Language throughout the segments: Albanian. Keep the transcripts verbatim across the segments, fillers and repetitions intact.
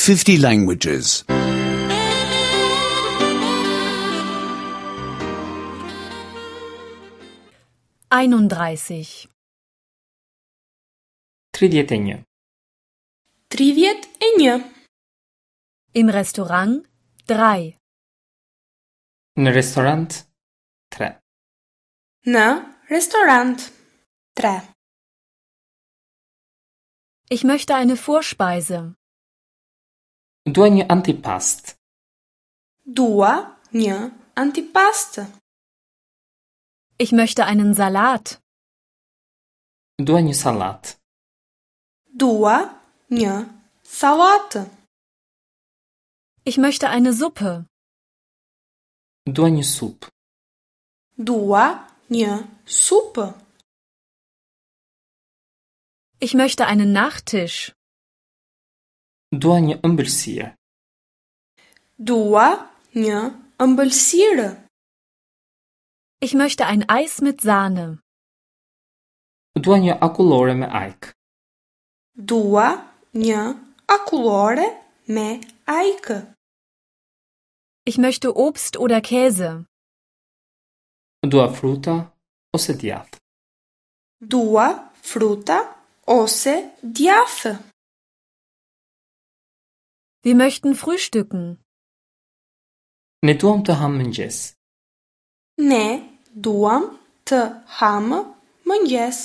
fifty languages. einunddreißig tridhjetë e një. Tridhjetë e një. Im Restaurant drei. Në restorant tre. Në restorant tre. Ich möchte eine Vorspeise. Dua një antipast. Dua një antipast. Ich möchte einen Salat. Dua një sallat. Dua një sallatë. Ich möchte eine Suppe. Dua një supë. Dua një supë. Ich möchte einen Nachtisch. Dua një ëmbëlsirë. Dua një ëmbëlsirë. Ich möchte ein Eis mit Sahne. Dua një akullore me ajkë. Dua një akullore me ajkë. Ich möchte Obst oder Käse. Dua fruta ose djathë. Dua fruta ose djathë. Wir möchten frühstücken. Ne duam të hamë mëngjes. Ne duam të hamë mëngjes.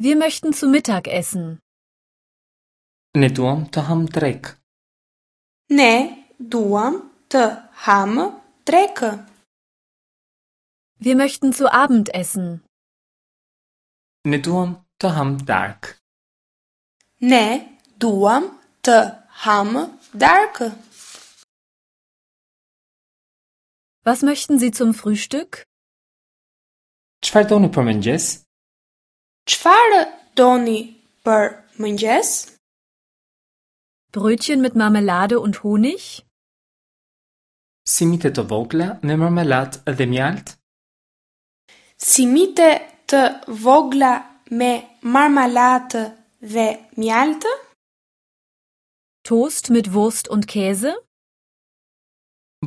Wir möchten zu Mittag essen. Ne duam të hamë drekë. Ne duam të hamë drekë. Wir möchten zu Abend essen. Ne duam të hamë darkë. Ne duam të hamë darkë. Was möchten Sie zum Frühstück? Çfarë doni për mëngjes? Çfarë doni për mëngjes? Brötchen mit Marmelade und Honig? Simite të vogla me marmelat dhe mjaltë? Simite të vogla me marmalatë dhe mjaltë? Toast mit Wurst und Käse?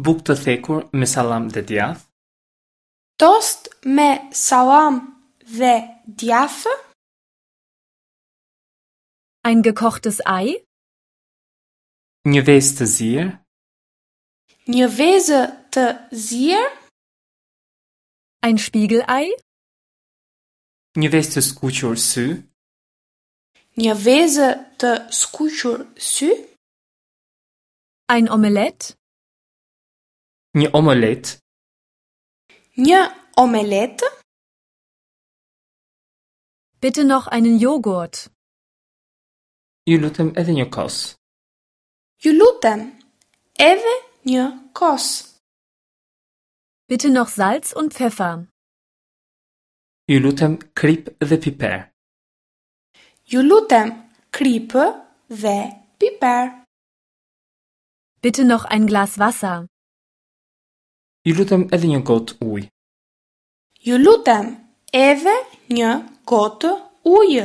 Bukë të thekur me sallam dhe djathë? Tost me sallam dhe djathë? Ein gekochtes Ei? Një vezë të zier? Një vezë të zier? Ein Spiegelei? Një vezë të skuqur sy? Një vezë të skuqur sy? Ein Omelett? Një omelet? Një omelet? Bitte noch einen Joghurt. Ju lutem edhe një kos. Ju lutem, edhe një kos. Bitte noch Salz und Pfeffer. Ju lutem krip dhe piper. Ju lutem, kripë dhe piper. Bitte noch ein Glas Wasser. Ju lutem edhe një gotë ujë. Ju lutem, edhe një gotë ujë.